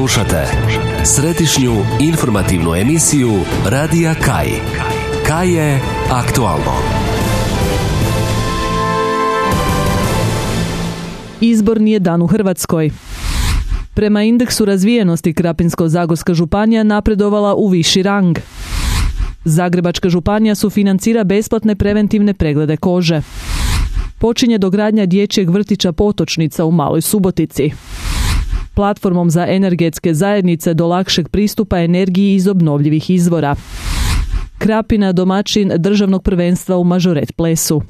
Slušate središnju informativnu emisiju Radija Kaj. Kaj je aktualno. Izborni je dan u Hrvatskoj. Prema indeksu razvijenosti Krapinsko-zagorska županija napredovala u viši rang. Zagrebačka županija sufinancira besplatne preventivne preglede kože. Počinje dogradnja dječjeg vrtića Potočnica u Maloj Subotici. Platformom za energetske zajednice do lakšeg pristupa energiji iz obnovljivih izvora. Krapina domaćin državnog prvenstva u mažoret plesu.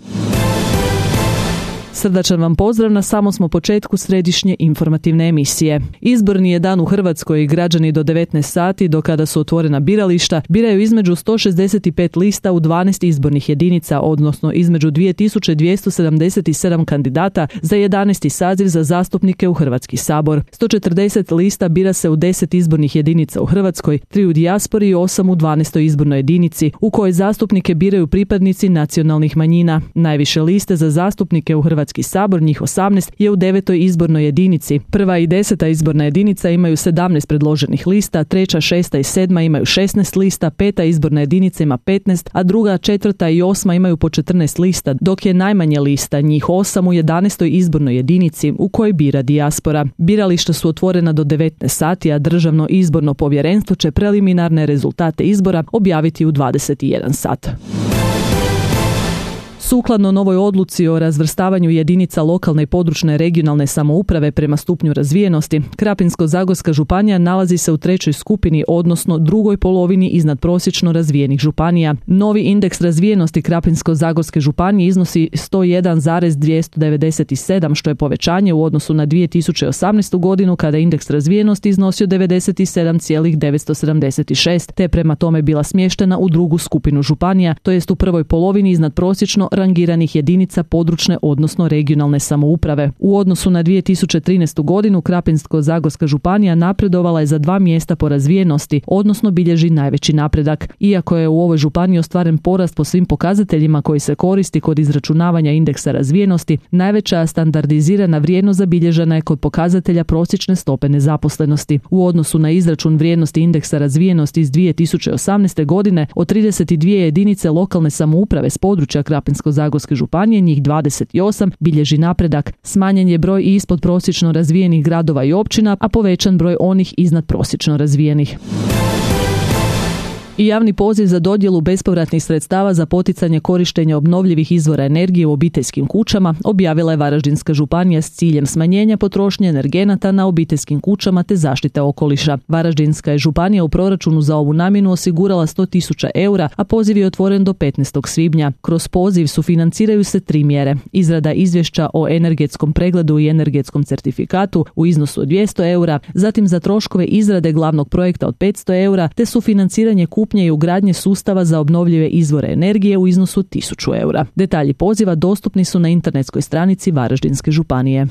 Srdačan vam pozdrav, na samom smo početku središnje informativne emisije. Izborni je dan u Hrvatskoj i građani do 19 sati, do kada su otvorena birališta, biraju između 165 lista u 12 izbornih jedinica, odnosno između 2277 kandidata za 11. saziv za zastupnike u Hrvatski sabor. 140 lista bira se u 10 izbornih jedinica u Hrvatskoj, 3 u dijaspori i 8 u 12. izbornoj jedinici, u kojoj zastupnike biraju pripadnici nacionalnih manjina. Najviše liste za zastupnike u Hrvatski sabor, njih 18, je u 9. izbornoj jedinici. 1. i 10. izborna jedinica imaju 17 predloženih lista, 3., 6. i 7. imaju 16 lista, 5. izborna jedinica ima 15, a 2., 4. i 8. imaju po 14 lista, dok je najmanje lista, njih 8, u 11. izbornoj jedinici, u kojoj bira dijaspora. Birališta su otvorena do 19 sati, a Državno izborno povjerenstvo će preliminarne rezultate izbora objaviti u 21 sat. Sukladno novoj odluci o razvrstavanju jedinica lokalne i područne regionalne samouprave prema stupnju razvijenosti, Krapinsko-zagorska županija nalazi se u 3. skupini, odnosno drugoj polovini iznad prosječno razvijenih županija. Novi indeks razvijenosti Krapinsko-zagorske županije iznosi 101,297, što je povećanje u odnosu na 2018. godinu, kada je indeks razvijenosti iznosio 97,976, te prema tome bila smještena u drugu skupinu županija, to jest u prvoj polovini iznad prosječno rangiranih jedinica područne, odnosno regionalne samouprave. U odnosu na 2013. godinu Krapinsko-zagorska županija napredovala je za 2 mjesta po razvijenosti, odnosno bilježi najveći napredak. Iako je u ovoj županiji ostvaren porast po svim pokazateljima koji se koristi kod izračunavanja indeksa razvijenosti, najveća standardizirana vrijednost zabilježena je kod pokazatelja prosječne stope nezaposlenosti. U odnosu na izračun vrijednosti indeksa razvijenosti iz 2018. godine, od 32 jedinice lokalne samouprave s područja Krapinsko-zagorske županije, njih 28 bilježi napredak. Smanjen je broj i ispod prosječno razvijenih gradova i općina, a povećan broj onih iznad prosječno razvijenih. I javni poziv za dodjelu bespovratnih sredstava za poticanje korištenja obnovljivih izvora energije u obiteljskim kućama objavila je Varaždinska županija s ciljem smanjenja potrošnje energenata na obiteljskim kućama te zaštite okoliša. Varaždinska je županija u proračunu za ovu namjenu osigurala 100.000 eura, a poziv je otvoren do 15. svibnja. Kroz poziv sufinanciraju se 3 mjere. Izrada izvješća o energetskom pregledu i energetskom certifikatu u iznosu od 200 eura, zatim za troškove izrade glavnog projekta od 500 eura, te sufinanciranje kupnje i ugradnje sustava za obnovljive izvore energije u iznosu 1.000 eura. Detalji poziva dostupni su na internetskoj stranici Varaždinske županije.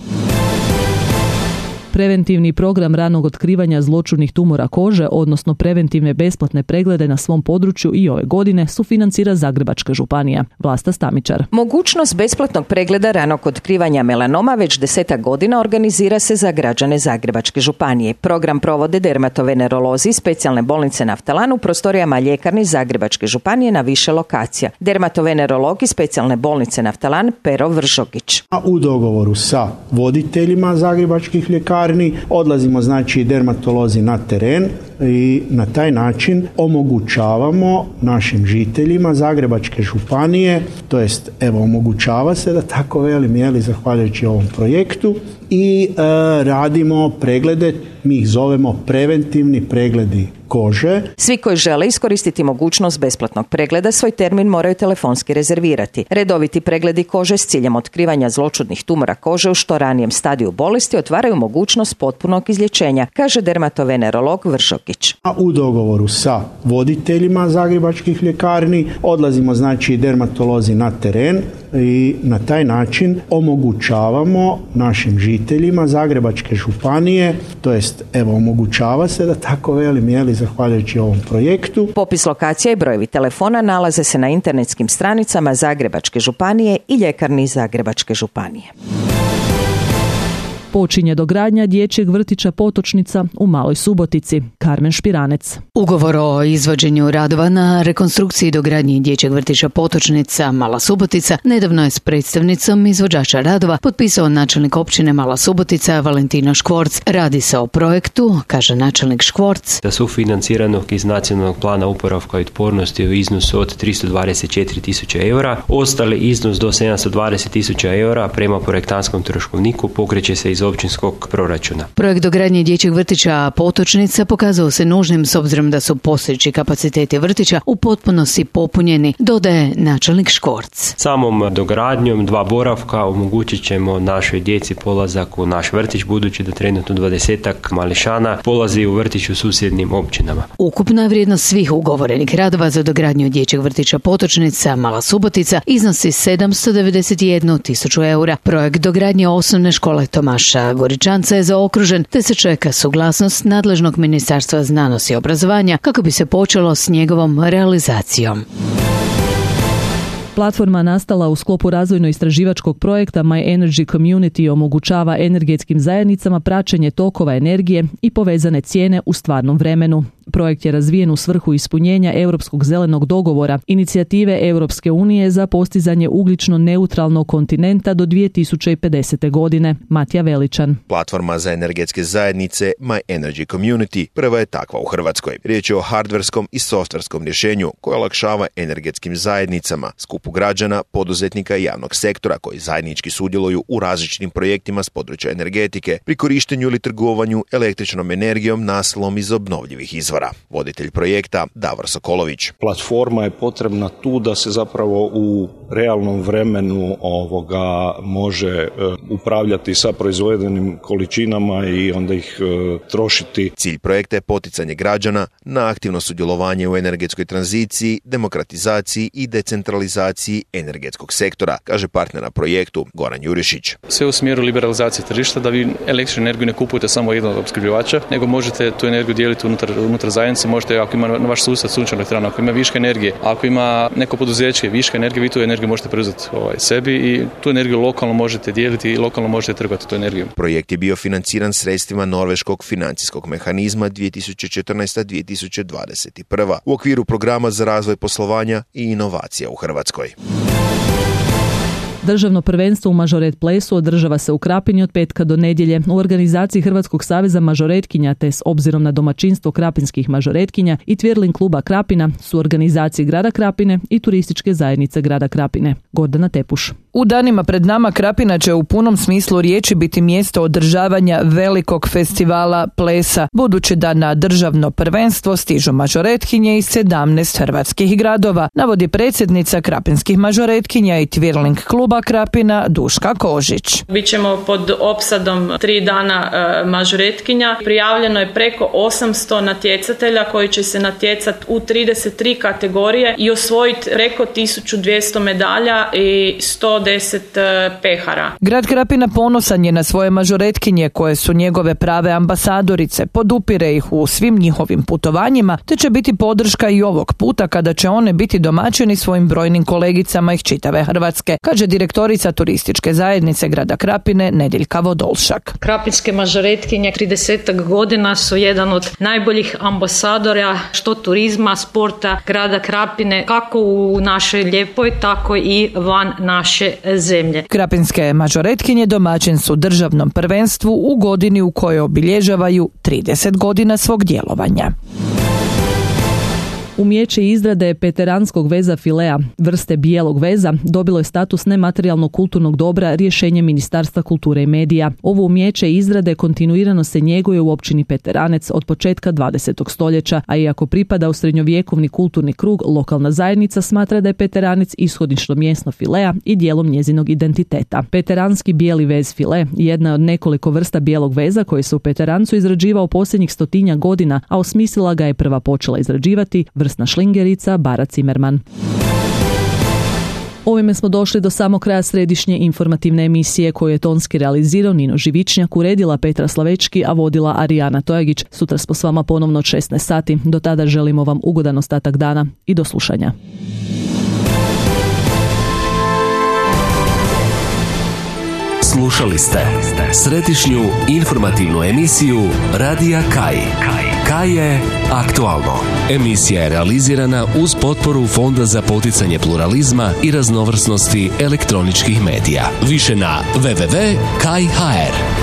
Preventivni program ranog otkrivanja zloćudnih tumora kože, odnosno preventivne besplatne preglede na svom području i ove godine sufinancira Zagrebačka županija. Vlasta Stamičar. Mogućnost besplatnog pregleda ranog otkrivanja melanoma već 10 godina organizira se za građane Zagrebačke županije. Program provode dermatovenerolozi iz specijalne bolnice Naftalan u prostorijama ljekarni Zagrebačke županije na više lokacija. Dermatovenerolog iz specijalne bolnice Naftalan Pero Vržogić. U dogovoru sa voditeljima zagrebačkih ljekarni odlazimo dermatolozi na teren i na taj način omogućavamo našim žiteljima Zagrebačke županije, to jest omogućava se, da tako velim, zahvaljujući ovom projektu, i radimo preglede, mi ih zovemo preventivni pregledi kože. Svi koji žele iskoristiti mogućnost besplatnog pregleda svoj termin moraju telefonski rezervirati. Redoviti pregledi kože s ciljem otkrivanja zloćudnih tumora kože u što ranijem stadiju bolesti otvaraju mogućnost potpunog izlječenja, kaže dermatovenerolog Vržogić. U dogovoru sa voditeljima zagrebačkih ljekarni odlazimo dermatolozi na teren i na taj način omogućavamo našim žiteljima Zagrebačke županije, to jest omogućava se, da tako velim, zahvaljujući ovom projektu. Popis lokacija i brojevi telefona nalaze se na internetskim stranicama Zagrebačke županije i ljekarni Zagrebačke županije. Počinje dogradnja dječjeg vrtića Potočnica u Maloj Subotici. Karmen Špiranec. Ugovor o izvođenju radova na rekonstrukciji i dogradnji dječjeg vrtića Potočnica Mala Subotica nedavno je s predstavnicom izvođača radova potpisao načelnik općine Mala Subotica Valentina Škvorc. Radi se o projektu, kaže načelnik Škvorc, da sufinanciranog iz nacionalnog plana oporavka i otpornosti u iznosu od 324.000 eura. Ostali iznos do 720.000 eura prema projektanskom troškovniku pokreće se iz općinskog proračuna. Projekt dogradnje dječjeg vrtića Potočnica pokazao se nužnim s obzirom da su postojeći kapaciteti vrtića u potpunosti popunjeni, dodaje načelnik Škvorc. Samom dogradnjom 2 boravka omogućit ćemo našoj djeci polazak u naš vrtić, budući da trenutno 20-ak mališana polazi u vrtić u susjednim općinama. Ukupna vrijednost svih ugovorenih radova za dogradnju dječjeg vrtića Potočnica Mala Subotica iznosi 791.000 eura. Projekt dogradnje osnovne škole Tomaša Goričanca je zaokružen, te se čeka suglasnost nadležnog Ministarstva znanosti i obrazovanja kako bi se počelo s njegovom realizacijom. Platforma nastala u sklopu razvojno-istraživačkog projekta My Energy Community omogućava energetskim zajednicama praćenje tokova energije i povezane cijene u stvarnom vremenu. Projekt je razvijen u svrhu ispunjenja Europskog zelenog dogovora, inicijative Europske unije za postizanje ugljično neutralnog kontinenta do 2050. godine. Matija Veličan. Platforma za energetske zajednice My Energy Community prva je takva u Hrvatskoj. Riječ je o hardverskom i softverskom rješenju koje olakšava energetskim zajednicama, skupu građana, poduzetnika i javnog sektora koji zajednički sudjeluju u različitim projektima s područja energetike pri korištenju ili trgovanju električnom energijom nasilom iz obnovljivih izvora. Voditelj projekta Davor Sokolović. Platforma je potrebna tu da se zapravo u realnom vremenu može upravljati sa proizvedenim količinama i onda ih trošiti. Cilj projekta je poticanje građana na aktivno sudjelovanje u energetskoj tranziciji, demokratizaciji i decentralizaciji energetskog sektora, kaže partner na projektu Goran Jurišić. Sve u smjeru liberalizacije tržišta, da vi električnu energiju ne kupujete samo jednog opskrbljivača, nego možete tu energiju dijeliti unutar zajednice. Možete, ako ima na vaš sustav sunčana elektrana, ako ima viška energije, ako ima neko poduzeće viška energije, vi tu energiju možete preuzeti sebi i tu energiju lokalno možete dijeliti i lokalno možete trgovati tu energiju. Projekt je bio financiran sredstvima Norveškog financijskog mehanizma 2014-2021 u okviru programa za razvoj poslovanja i inovacija u Hrvatskoj. Državno prvenstvo u mažoret plesu održava se u Krapini od petka do nedjelje u organizaciji Hrvatskog saveza mažoretkinja, te s obzirom na domaćinstvo krapinskih mažoretkinja i Twirling kluba Krapina su organizaciji grada Krapine i turističke zajednice grada Krapine. Gordana Tepuš. U danima pred nama Krapina će u punom smislu riječi biti mjesto održavanja velikog festivala plesa, budući da na državno prvenstvo stižu mažoretkinje iz 17 hrvatskih gradova, navodi predsjednica krapinskih mažoretkinja i Twirling kluba Krapina Duška Kožić. Bićemo pod opsadom 3 dana mažoretkinja. Prijavljeno je preko 800 natjecatelja koji će se natjecati u 33 kategorije i osvojiti preko 1200 medalja i 110 pehara. Grad Krapina ponosan je na svoje mažoretkinje koje su njegove prave ambasadorice, podupire ih u svim njihovim putovanjima, te će biti podrška i ovog puta kada će one biti domaćini svojim brojnim kolegicama iz čitave Hrvatske, kaže direktorica turističke zajednice grada Krapine Nediljka Vodolšak. Krapinske mažoretkinje 30 godina su jedan od najboljih ambasadora što turizma, sporta grada Krapine, kako u našoj lijepoj, tako i van naše zemlje. Krapinske mažoretkinje domaćin su državnom prvenstvu u godini u kojoj obilježavaju 30 godina svog djelovanja. Umijeće izrade peteranskog veza filea, vrste bijelog veza, dobilo je status nematerijalnog kulturnog dobra rješenjem Ministarstva kulture i medija. Ovo umijeće izrade kontinuirano se njeguje u općini Peteranec od početka 20. stoljeća, a iako pripada u srednjovjekovni kulturni krug, lokalna zajednica smatra da je Peteranec ishodično mjesto filea i dijelom njezinog identiteta. Peteranski bijeli vez file jedna je od nekoliko vrsta bijelog veza koji se u Peterancu izrađivao posljednjih 100 godina, a osmislila ga je prva počela izrađivati vrsna šlingerica Bara Cimerman. Ovime smo došli do samog kraja središnje informativne emisije koju je tonski realizirao Nino Živičnjak, uredila Petra Slavečki, a vodila Arijana Tojagić. Sutra smo s vama ponovno od 16 sati. Do tada želimo vam ugodan ostatak dana i do slušanja. Slušali ste središnju informativnu emisiju Radija Kaj. Kaj je aktualno. Emisija je realizirana uz potporu Fonda za poticanje pluralizma i raznovrsnosti elektroničkih medija. Više na www.kaj.hr.